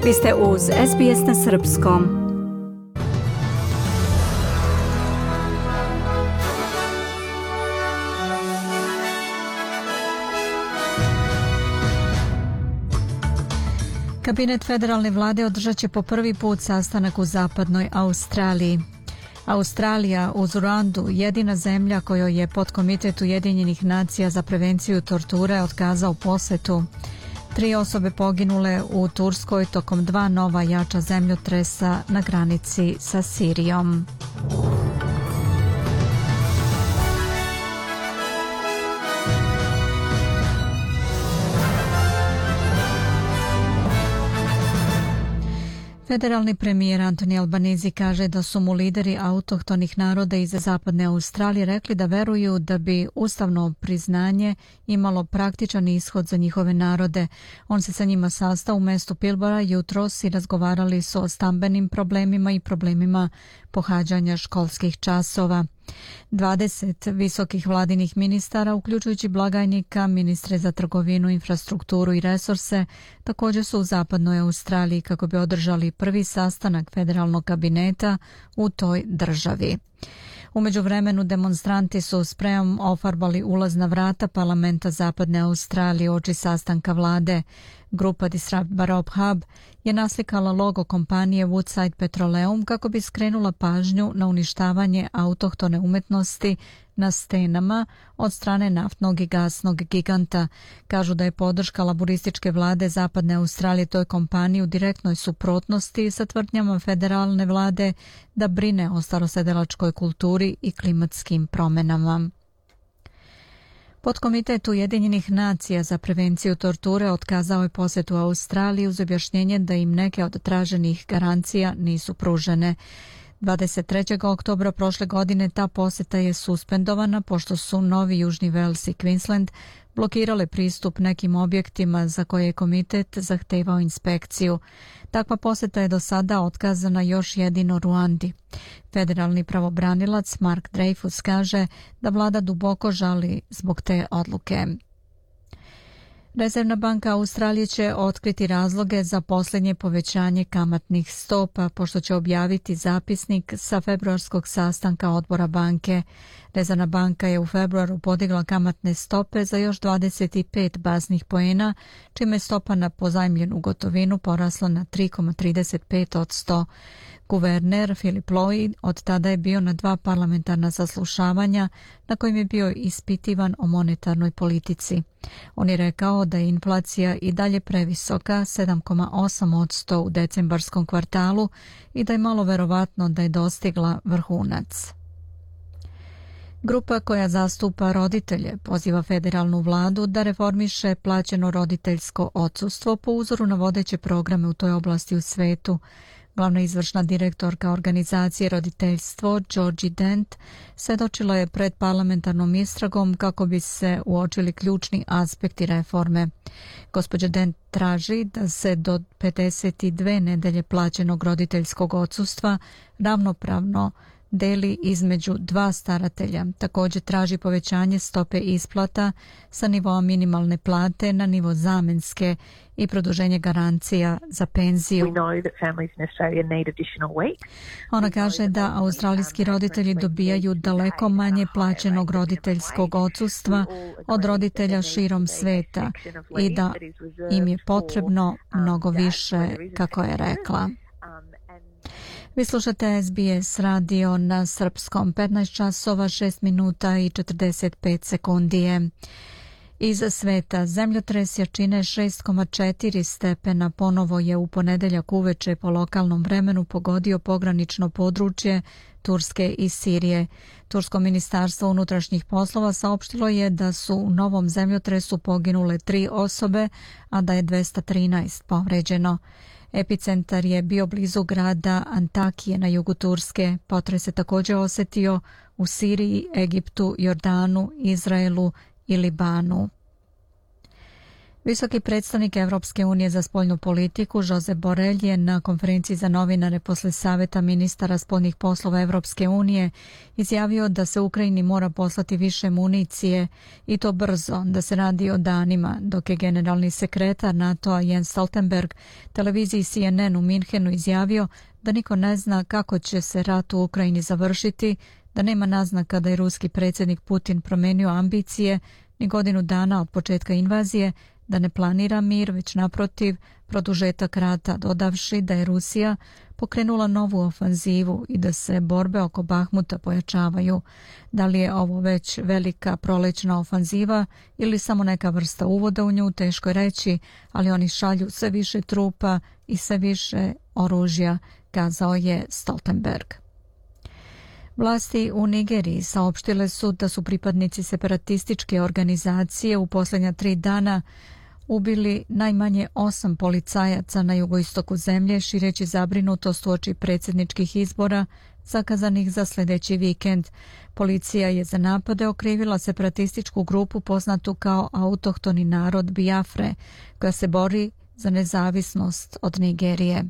Vi ste uz SBS na srpskom. Kabinet federalne vlade održat će po prvi put sastanak u zapadnoj Australiji. Australija uz Ruandu, jedina zemlja kojoj je podkomitet Ujedinjenih nacija za prevenciju torture otkazao posjetu. 3 osobe poginule u Turskoj tokom 2 nova jača zemljotresa na granici sa Sirijom. Federalni premijer Anthony Albanese kaže da su mu lideri autohtonih naroda iz zapadne Australije rekli da veruju da bi ustavno priznanje imalo praktičan ishod za njihove narode. On se sa njima sastao u mestu Pilbara jutros i razgovarali su o stambenim problemima i problemima pohađanja školskih časova. 20 visokih vladinih ministara, uključujući blagajnika, ministre za trgovinu, infrastrukturu i resurse, također su u zapadnoj Australiji kako bi održali prvi sastanak federalnog kabineta u toj državi. U međuvremenu demonstranti su sprejom ofarbali ulazna vrata parlamenta zapadne Australije uoči sastanka vlade. Grupa Disrupt Barob Hub je naslikala logo kompanije Woodside Petroleum kako bi skrenula pažnju na uništavanje autohtone umetnosti na stenama od strane naftnog i gasnog giganta. Kažu da je podrška laburističke vlade zapadne Australije toj kompaniji u direktnoj suprotnosti sa tvrdnjama federalne vlade da brine o starosedelačkoj kulturi i klimatskim promjenama. Podkomitet Ujedinjenih nacija za prevenciju torture otkazao je posjetu Australiji uz objašnjenje da im neke od traženih garancija nisu pružene. 23. oktobra prošle godine ta posjeta je suspendovana pošto su Novi Južni Wales i Queensland blokirale pristup nekim objektima za koje je komitet zahtevao inspekciju. Takva posjeta je do sada otkazana još jedino Ruandi. Federalni pravobranilac Mark Dreyfus kaže da vlada duboko žali zbog te odluke. Rezervna banka Australije će otkriti razloge za posljednje povećanje kamatnih stopa pošto će objaviti zapisnik sa februarskog sastanka odbora banke. Rezervna banka je u februaru podigla kamatne stope za još 25 baznih poena, čime je stopa na pozajmljenu gotovinu porasla na 3,35%. Guverner Philip Lowe od tada je bio na 2 parlamentarna saslušavanja na kojim je bio ispitivan o monetarnoj politici. On je rekao da je inflacija i dalje previsoka, 7,8% u decembarskom kvartalu i da je malo verovatno da je dostigla vrhunac. Grupa koja zastupa roditelje poziva federalnu vladu da reformiše plaćeno roditeljsko odsustvo po uzoru na vodeće programe u toj oblasti u svetu. Glavna izvršna direktorka organizacije Roditeljstvo, Georgie Dent, svedočila je pred parlamentarnom istragom kako bi se uočili ključni aspekti reforme. Gospođa Dent traži da se do 52 nedelje plaćenog roditeljskog odsustva ravnopravno deli između 2 staratelja. Također traži povećanje stope isplata sa nivoa minimalne plate na nivo zamenske i produženje garancija za penziju. Ona kaže da australijski roditelji dobijaju daleko manje plaćenog roditeljskog odsustva od roditelja širom sveta i da im je potrebno mnogo više, kako je rekla. Vi slušate SBS radio na srpskom, 15 časova 6 minuta i 45 sekundije. Iz sveta zemljotres jačine 6,4 stepena ponovo je u ponedeljak uveče po lokalnom vremenu pogodio pogranično područje Turske i Sirije. Tursko ministarstvo unutrašnjih poslova saopštilo je da su u novom zemljotresu poginule 3 osobe, a da je 213 povređeno. Epicentar je bio blizu grada Antakije na jugu Turske. Potres se također osjetio u Siriji, Egiptu, Jordanu, Izraelu i Libanu. Visoki predstavnik Evropske unije za spoljnu politiku Josep Borrell je na konferenciji za novinare posle saveta ministara spoljnih poslova Evropske unije izjavio da se Ukrajini mora poslati više municije i to brzo, da se radi o danima, dok je generalni sekretar NATO-a Jens Stoltenberg televiziji CNN u Minhenu izjavio da niko ne zna kako će se rat u Ukrajini završiti, da nema naznaka da je ruski predsjednik Putin promenio ambicije ni godinu dana od početka invazije, da ne planira mir, već naprotiv produžetak rata, dodavši da je Rusija pokrenula novu ofanzivu i da se borbe oko Bahmuta pojačavaju. Da li je ovo već velika prolećna ofanziva ili samo neka vrsta uvoda u nju, teško je reći, ali oni šalju sve više trupa i sve više oružja, kazao je Stoltenberg. Vlasti u Nigeriji saopštile su da su pripadnici separatističke organizacije u posljednja 3 dana ubili najmanje 8 policajaca na jugoistoku zemlje, šireći zabrinutost uoči predsjedničkih izbora zakazanih za sljedeći vikend. Policija je za napade okrivila separatističku grupu poznatu kao autohtoni narod Biafre, koja se bori za nezavisnost od Nigerije.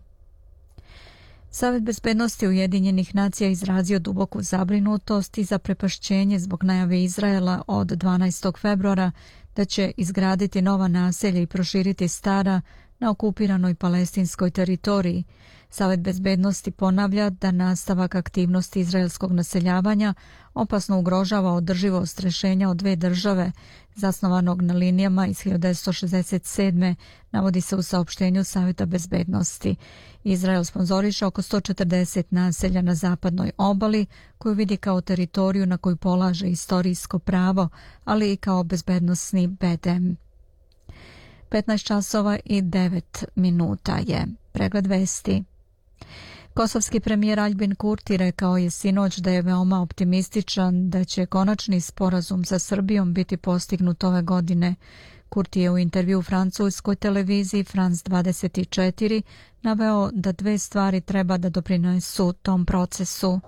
Savet bezbednosti Ujedinjenih nacija izrazio duboku zabrinutost i zaprepašćenje zbog najave Izraela od 12. februara da će izgraditi nova naselja i proširiti stara na okupiranoj palestinskoj teritoriji. Savet bezbednosti ponavlja da nastavak aktivnosti izraelskog naseljavanja opasno ugrožava održivost rješenja od 2 države, zasnovanog na linijama iz 1967. navodi se u saopštenju Saveta bezbednosti. Izrael sponzoriše oko 140 naselja na zapadnoj obali, koju vidi kao teritoriju na koju polaže istorijsko pravo, ali i kao bezbednosni bedem. 15 časova i 9 minuta je. Pregled vesti. Kosovski premijer Aljbin Kurti rekao je sinoć da je veoma optimističan da će konačni sporazum sa Srbijom biti postignut ove godine. Kurti je u intervju u francuskoj televiziji France 24 naveo da 2 stvari treba da doprinesu tom procesu.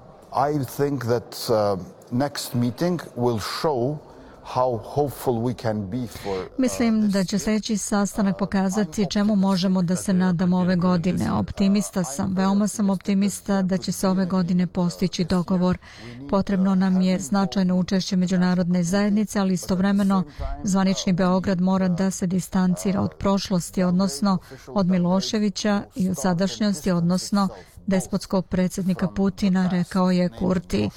I think that next meeting will show how hopeful we can be for Mislim da će sljedeći sastanak pokazati čemu možemo da se nadamo ove godine. Optimista sam, veoma sam optimista da će se ove godine postići dogovor. Potrebno nam je značajno učešće međunarodne zajednice, ali istovremeno zvanični Beograd mora da se distancira od prošlosti, odnosno od Miloševića i od sadašnjosti, odnosno despotskog predsjednika Putina, rekao je Kurti.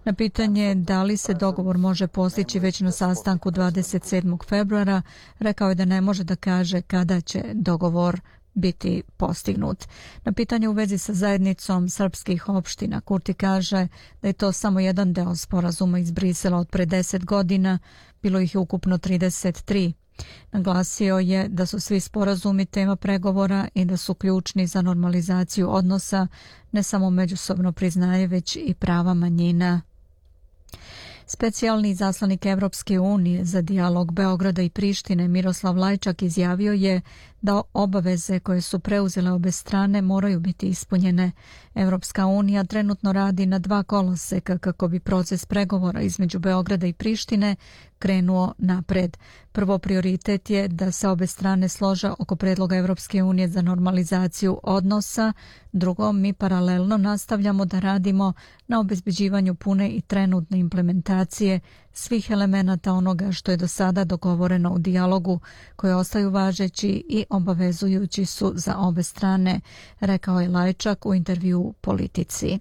Na pitanje da li se dogovor može postići već na sastanku 27. februara, rekao je da ne može da kaže kada će dogovor biti postignut. Na pitanje u vezi sa zajednicom srpskih opština, Kurti kaže da je to samo jedan deo sporazuma iz Brisela od pre 10 godina, bilo ih je ukupno 33. Naglasio je da su svi sporazumi tema pregovora i da su ključni za normalizaciju odnosa, ne samo međusobno priznaje, već i prava manjina. Specijalni izaslanik Evropske unije za dijalog Beograda i Prištine Miroslav Lajčak izjavio je da obaveze koje su preuzele obe strane moraju biti ispunjene. Evropska unija trenutno radi na 2 koloseka kako bi proces pregovora između Beograda i Prištine krenuo napred. Prvo prioritet je da se obe strane slože oko predloga Evropske unije za normalizaciju odnosa. Drugo, mi paralelno nastavljamo da radimo na obezbeđivanju pune i trenutne implementacije svih elemenata onoga što je do sada dogovoreno u dijalogu, koje ostaju važeći i obavezujući su za obe strane, rekao je Lajčak u intervju Politici.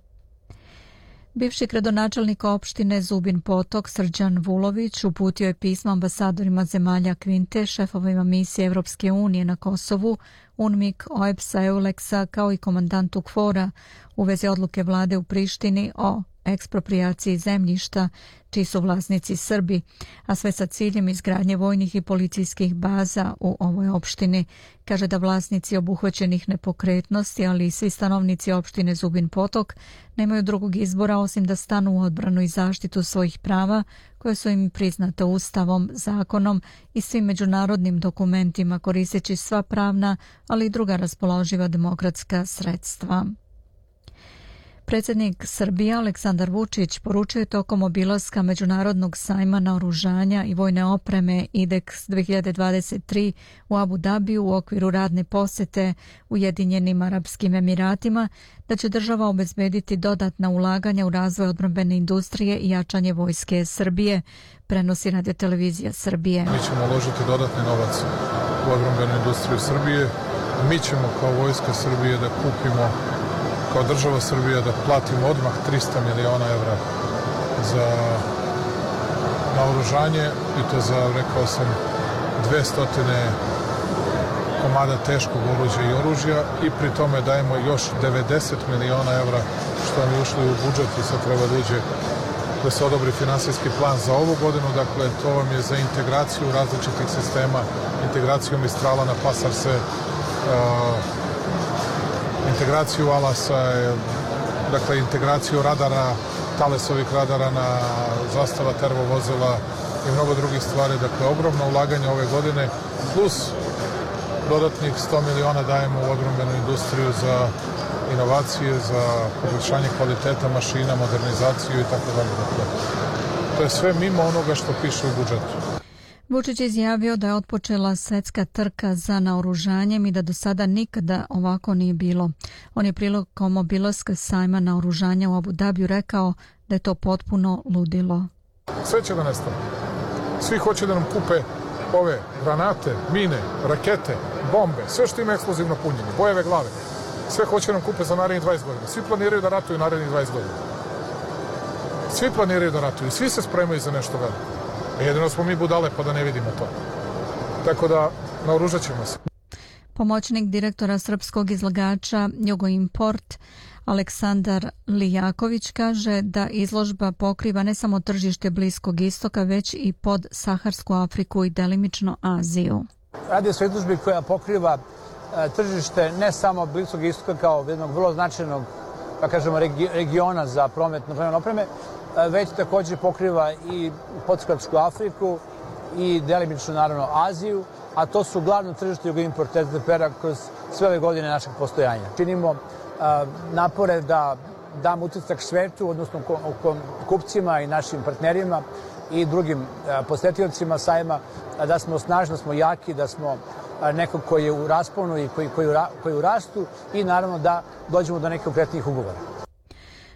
Bivši gradonačelnik opštine Zubin Potok Srđan Vulović uputio je pismo ambasadorima zemalja Kvinte, šefovima misije Evropske unije na Kosovu, UNMIK, OEBS-a, EULEX-a kao i komandantu KFOR-a u vezi odluke vlade u Prištini o eksproprijaciji zemljišta čiji su vlasnici Srbi, a sve sa ciljem izgradnje vojnih i policijskih baza u ovoj opštini. Kaže da vlasnici obuhvaćenih nepokretnosti, ali i svi stanovnici opštine Zubin Potok nemaju drugog izbora osim da stanu u odbranu i zaštitu svojih prava koje su im priznate Ustavom, zakonom i svim međunarodnim dokumentima, koristeći sva pravna, ali i druga raspoloživa demokratska sredstva. Predsjednik Srbije Aleksandar Vučić poručio je tokom obilaska Međunarodnog sajma naoružanja i vojne opreme IDEX 2023 u Abu Dabiju u okviru radne posjete Ujedinjenim Arapskim Emiratima da će država obezbediti dodatna ulaganja u razvoj odbrambene industrije i jačanje vojske Srbije, prenosi Radiotelevizija Srbije. Mi ćemo uložiti dodatni novac u odbrambenu industriju Srbije. Mi ćemo kao vojska Srbije da kupimo, kao država Srbija da platimo odmah 300 miliona evra za naoružanje i to za, rekao sam, 200 komada teškog oruđa i oružja i pri tome dajemo još 90 miliona evra što nam je ušlo u budžet i sad treba da uđe da se odobri finansijski plan za ovu godinu. Dakle, to vam je za integraciju različitih sistema, integraciju Mistrala na Pasarse, integraciju Alasa, dakle integraciju radara, Talesovih radara na zastava termovozila i mnogo drugih stvari. Dakle, ogromno ulaganje ove godine, plus dodatnih 100 miliona dajemo u odbrambenu industriju za inovacije, za poboljšanje kvaliteta mašina, modernizaciju i tako dalje. Dakle, to je sve mimo onoga što piše u budžetu. Vučić je izjavio da je otpočela svetska trka za naoružanjem i da do sada nikada ovako nije bilo. On je prilikom obilaska sajma naoružanja u Abu Dabiju rekao da je to potpuno ludilo. Sve će da nestane. Svi hoće da nam kupe ove granate, mine, rakete, bombe, sve što ima eksplozivno punjenje, bojeve glave. Sve hoće nam kupe za narednih 20 godina. Svi planiraju da ratuju narednih 20 godina. Svi planiraju da ratuju, svi se spremaju za nešto veliko. Jedino smo mi budale pa da ne vidimo to. Tako da naoružat ćemo se. Pomoćnik direktora srpskog izlagača Jugoimport Aleksandar Lijaković kaže da izložba pokriva ne samo tržište Bliskog istoka, već i podsaharsku Afriku i delimično Aziju. Radi se o izložbi koja pokriva tržište ne samo Bliskog istoka kao jednog vrlo značajnog, da kažemo, regiona za prometno opreme, već također pokriva i podsaharsku Afriku i delimično naravno Aziju, a to su glavno tržište Jugoimport SDP-a kroz sve ove godine našeg postojanja. Činimo napore da damo utisak svetu, odnosno kupcima i našim partnerima i drugim posetiocima sajma, da smo snažni, da smo jaki, da smo neko koji je u rasponu i koji u rastu i naravno da dođemo do nekih konkretnih ugovora.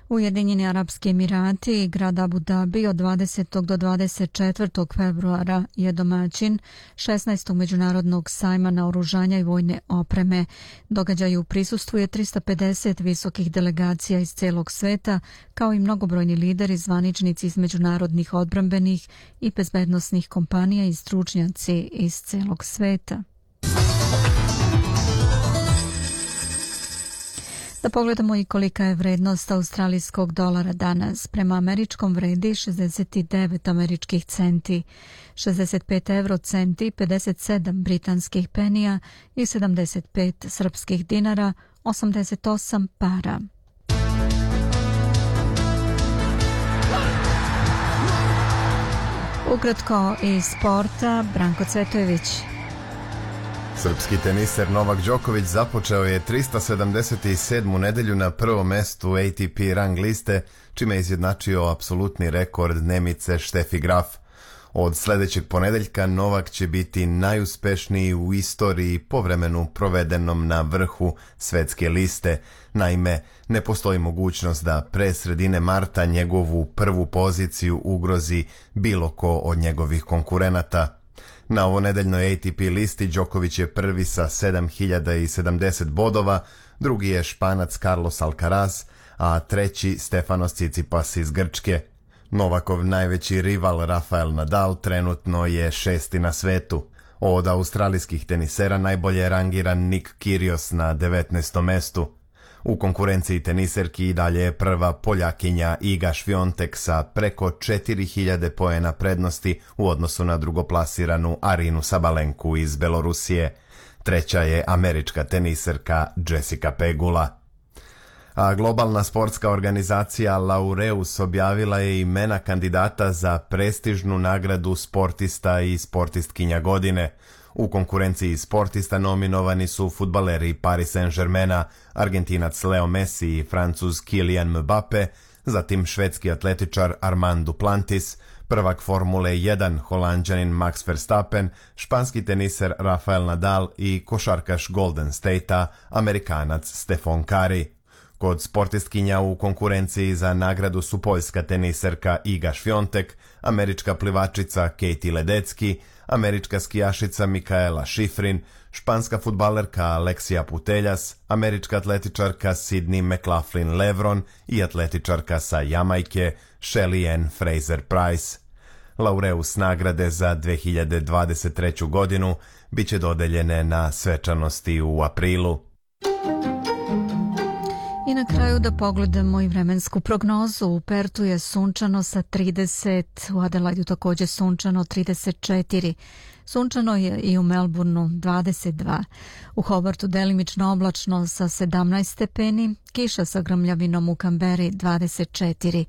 Ujedinjeni Arapski Emirati i grad Abu Dabi od 20. do 24. februara je domaćin 16. međunarodnog sajma naoružanja i vojne opreme. Događaju prisustvuje 350 visokih delegacija iz celog sveta, kao i mnogobrojni lideri, zvaničnici iz međunarodnih odbrambenih i bezbednosnih kompanija i stručnjaci iz celog sveta. Da pogledamo i kolika je vrednost australijskog dolara danas. Prema američkom vredi 69 američkih centi, 65 eurocenti, 57 britanskih penija i 75 srpskih dinara, 88 para. Ukratko iz sporta, Branko Cvetojević. Srpski teniser Novak Đoković započeo je 377. nedelju na prvom mestu ATP rang liste, čime je izjednačio apsolutni rekord Nemice Steffi Graf. Od sljedećeg ponedeljka Novak će biti najuspešniji u istoriji po vremenu provedenom na vrhu svetske liste. Naime, ne postoji mogućnost da pre sredine marta njegovu prvu poziciju ugrozi bilo ko od njegovih konkurenata. Na ovonedeljnoj ATP listi Đoković je prvi sa 7070 bodova, drugi je Španac Carlos Alcaraz, a treći Stefanos Tsitsipas iz Grčke. Novakov najveći rival Rafael Nadal trenutno je 6. na svetu. Od australijskih tenisera najbolje je rangiran Nick Kyrgios na 19. mestu. U konkurenciji teniserki i dalje je prva Poljakinja Iga Świątek sa preko 4000 poena prednosti u odnosu na drugoplasiranu Arinu Sabalenku iz Belorusije. Treća je američka teniserka Jessica Pegula. A globalna sportska organizacija Laureus objavila je imena kandidata za prestižnu nagradu sportista i sportistkinja godine. U konkurenciji sportista nominovani su fudbaleri Paris Saint-Germaina, Argentinac Leo Messi i Francuz Kylian Mbappe, zatim švedski atletičar Armand Duplantis, prvak Formule 1 Holanđanin Max Verstappen, španski teniser Rafael Nadal i košarkaš Golden State-a Amerikanac Stephen Curry. Kod sportistkinja u konkurenciji za nagradu su poljska teniserka Iga Świątek, američka plivačica Katie Ledecky, američka skijašica Mikaela Shiffrin, španska fudbalerka Alexia Putellas, američka atletičarka Sydney McLaughlin-Levron i atletičarka sa Jamajke Shelly Ann Fraser-Price. Laureus nagrade za 2023. godinu biće dodeljene na svečanosti u aprilu. I na kraju da pogledamo i vremensku prognozu. U Pertu je sunčano sa 30, u Adelaidu također sunčano 34, sunčano je i u Melbourneu 22, u Hobartu delimično oblačno sa 17 stepeni, kiša sa grmljavinom u Kamberi 24,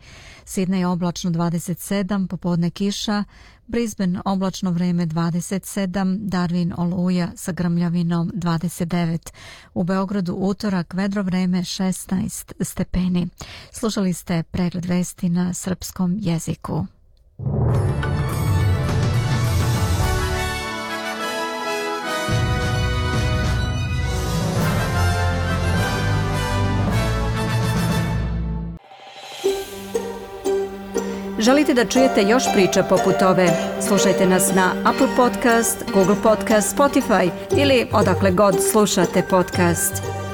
Sidney oblačno 27, popodne kiša, Brisbane oblačno vreme 27, Darwin oluja sa grmljavinom 29, u Beogradu utorak vedro vreme 16 stepeni. Slušali ste pregled vesti na srpskom jeziku. Želite da čujete još priča poput ove? Slušajte nas na Apple Podcast, Google Podcast, Spotify ili odakle god slušate podcast.